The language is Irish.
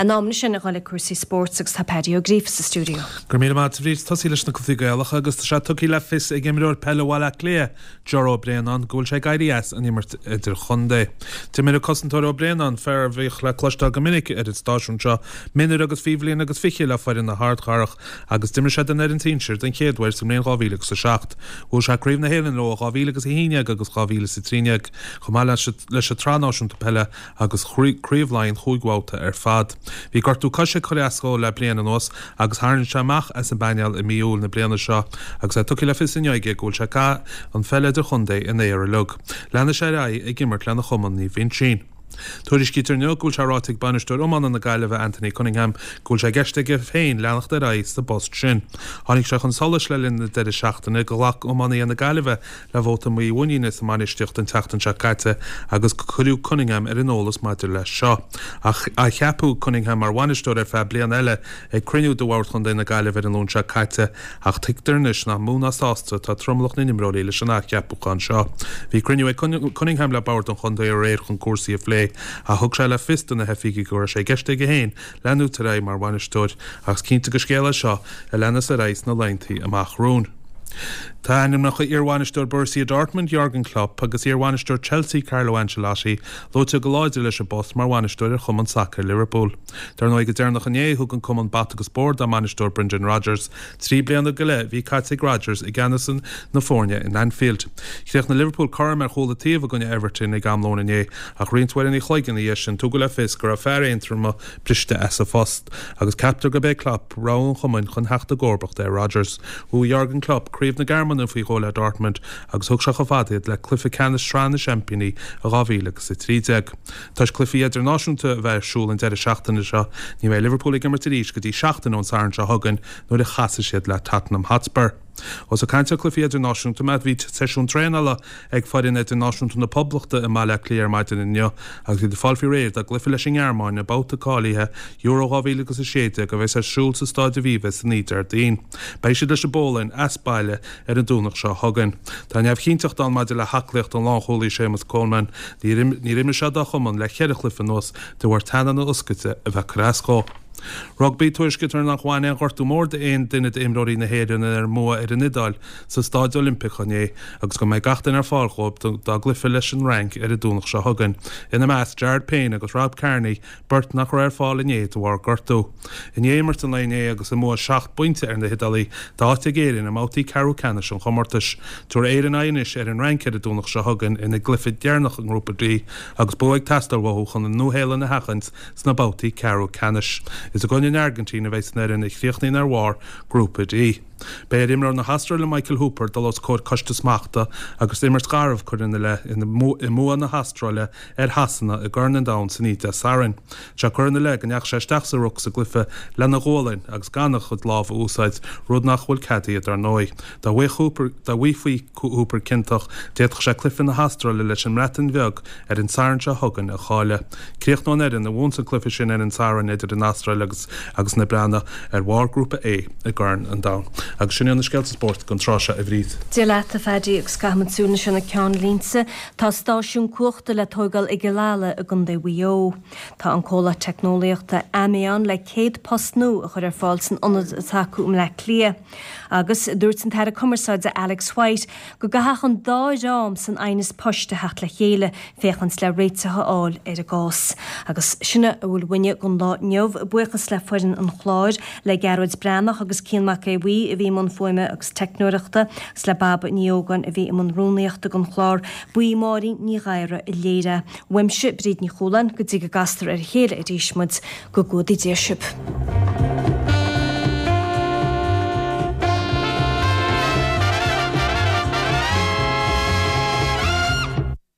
In am anois a dhul ag cúrsaí spóirt agus tá Paddy Ó Gríofa sa stiúideo. Go raibh míle maith agat a Bhríd. Tosaí leis na cluichí Gaelacha agus tá sé tugtha le fios ag imreoir peile Bhaile Átha Cliath, Ger Ó Braonáin, go bhfuil sé ag éirí as an imirt idirchontae. D'imir an cosantóir Ó Braonáin, fear a bhíodh le cloisteáil go minic ar an stáisiún seo, mionúir agus faoi bhliain agus 20 le foireann na hArdchathrach agus d'imir sé don fhoireann sinsir den chéad uair sa mbliain 2007. Bhuaigh sé Craobh na hÉireann leo i 2011 agus 2013, chomh maith leis an tSraith Náisiúnta Peile agus Craobh Laighean chúig bhabhta ar fad. Bhí gortú coise ag cur as dhó le bliain anuas agus tharraing sé amach as an bpainéal i mí Iúil na bliana seo agus é tugtha le fios inniu aige go bhfuil sé ag caitheamh an pheil idirchontae ina aer uilig. Leanfaidh sé ar aghaidh ag imirt lena chumann Naomh Uinseann. Tuairiscítear inniu go bhfuil sé ráite ag bainisteoir iomána na Gaillimhe Anthony Cunningham go bhfuil sé i gceist aige féin leanacht ar aghaidh sa bpost sin. Tháinig sé chun solais le linn na deireadh seachtaine go ghlac iománaithe na Gaillimhe le vóta mímhuiníne sa mbainistíocht an tseachtain seo caite agus go cuireadh Cunningham ar an eolas maidir leis seo. Athcheapadh Cunningham mar bhainisteoir ar feadh bliana eile ag cruinniú de Bhord Chontae na Gaillimhe ar an Luan seo caite ach tuigtear anois nach mó ná sásta atá tromlach na n-imreoirí leis an athcheapúchán seo. Bhí cruinniú ag Cunningham le Bord an Chontae aréir chun cúrsaí a phlé ach thug sé le fios do na hoifigigh go raibh sé i gceist aige féin leanúint ar aghaidh mar bhainisteoir ach is cinnte gur scéal é seo a leanas ar aghaidh sna laethanta amach romhainn. Tá ainmneacha iarbhainisteoir Borussia Dortmund, Jurgen Klopp, agus iarbhainisteoir Chelsea, Carlo Ancelotti, luaite go láidir leis an bpost mar bhainisteoir ar chumann sacair Liverpool. Dar ndóigh, go deireanach inné, thug an cumann bata agus bord dá mbainisteoir Brendan Rodgers. 3 bliana go leith a bhí caite ag Rodgers i gceannas na foirne in Anfield. Chríochnaigh Liverpool cothrom ar chúl an taobh i gcoinne Everton ag am lóin inné ach roinnt uaireanna an chloig ina dhiaidh sin tugadh le fios go raibh fear Aontroma briste as a phost agus ceaptar gurb é Klopp rogha an chumainn chun theacht i gcomharbacht ar Rodgers. Bhuaigh Jurgen Klopp Craobh na Gearmáine faoi dhó le Dortmund agus thug sé chomh fada iad le cluiche ceannais Shraith na Seaimpíní i 2013. Toisc cluichí idirnáisiúnta a bheith ar siúl an deireadh seachtaine seo, ní bheidh Liverpool ag imirt arís go dtí seachtain ón Satharn seo chugainn nuair a chasfaidh siad le Tottenham Hotspur. Ós ag caint ar chluichí idirnáisiúnta mé, bhí seisiún traenála ag foireann idirnáisiúnta na Poblachta i mBaile Átha Cliath ar maidin inniu agus iad ag fáil faoi réir dá gcluiche leis an nGearmáin i mbabhta cáilithe Euro 2016 a bheas ar siúl sa Stáid Aviva san oíche Déardaoin. Beidh siad leis an bPólainn, as baile, ar an Domhnach seo chugainn. Tá neamhchinnteacht ann maidir le haclaíocht an lánchúlaí Séamus Coleman. Níor imir sé dá chumann le ceithre chluiche anuas de bharr teannán na hioscaide a bheith ag cur as dhó. Rugbaí, Tuairiscítear nár bhain aon ghortú mór d'aon duine d'imreoirí na hÉireann ar a mbua ar an Iodáil sa Stáid Oilimpeach inné agus go mbeidh gach duine ar fáil dhóibh dá gcluiche leis an Fhrainc ar an Domhnach seo chugainn. Ina measc, Jared Payne agus Rob Kearney, beirt nach raibh ar fáil inné de bharr gortú. I ndiaidh imirt an lae inné agus a mbua seacht bpointe ar na hIodálaigh, tá áit ag Éirinn i mbabhtaí ceathrú ceannais an chomórtais. Tabharfaidh Éirinn aghaidh anois ar an Fhrainc ar an Domhnach seo chugainn ina gcluiche deireanach i nGrúpa D agus bua ag teastáil uathu chun an Nua-Shéalainn a sheachaint sna babhtaí ceathrú ceannais. Is i gcoinne an Airgintín a bheas an fhoireann a chríochnaíonn ar bharr Grúpa D. Beidh ar imreoir na hAstráile Michael Hooper dul os comhair coiste smachta agus imirt gharbh curtha ina leith i mbua na hAstráile ar Shasana i gCorn an Domhain san oíche Dé Sathairn. Tá sé curtha ina leith go ndeachaigh sé isteach sa ruc sa gcluiche lena ghualainn agus gan a chuid lámh a úsáid, rud nach bhfuil ceadaithe dar ndóigh. Dá bhfaighfí Hooper ciontach, d'fhéadfadh sé cluiche na hAstráile leis an mBreatain Bheag ar an Satharn seo chugainn a chailleadh. Críochnóidh an fhoireann a bhuann an cluiche sin ar an Satharn idir an Astráil agus agus na Breatnaigh ar bharr Grúpa A i gCorn an Domhain. Agus sin iad na scéalta spóirt don tráth seo, a Bhríd. Dia leat, a Phaddy, agus caithfimid súil anois ar na ceannlínte. Tá stáisiún cumhachta le tóigeáil i gCill Ala i gContae Mhaigh Eo. Tá an comhlacht teicneolaíochta Ammeon le 100 post nua a chur ar fáil san ionad atá acu i mBleá Cliath. Agus dúirt an tAire Cumarsáide Alex White go gcaithfeadh an dá dhream san aighneas poist a theacht le chéile féachaint le réiteach a fháil ar an gcás. Agus sin a bhfuil uainne don lá inniu. Buíochas le foireann an chláir, le Gearóid Breathnach agus Cian Mac Aodha Bhuí a bhí i mbun fuaime agus teicneoireachta, agus le Baba Ní Ógáin a bhí i mbun rúnaíochta don chlár. Ba í Máirín Ní Ghadhra a léirigh é. Uaimse, Bríd Ní Chualáin, go dtí go gcastar ar a chéile arís muid, go gcumhdaí Dia sibh.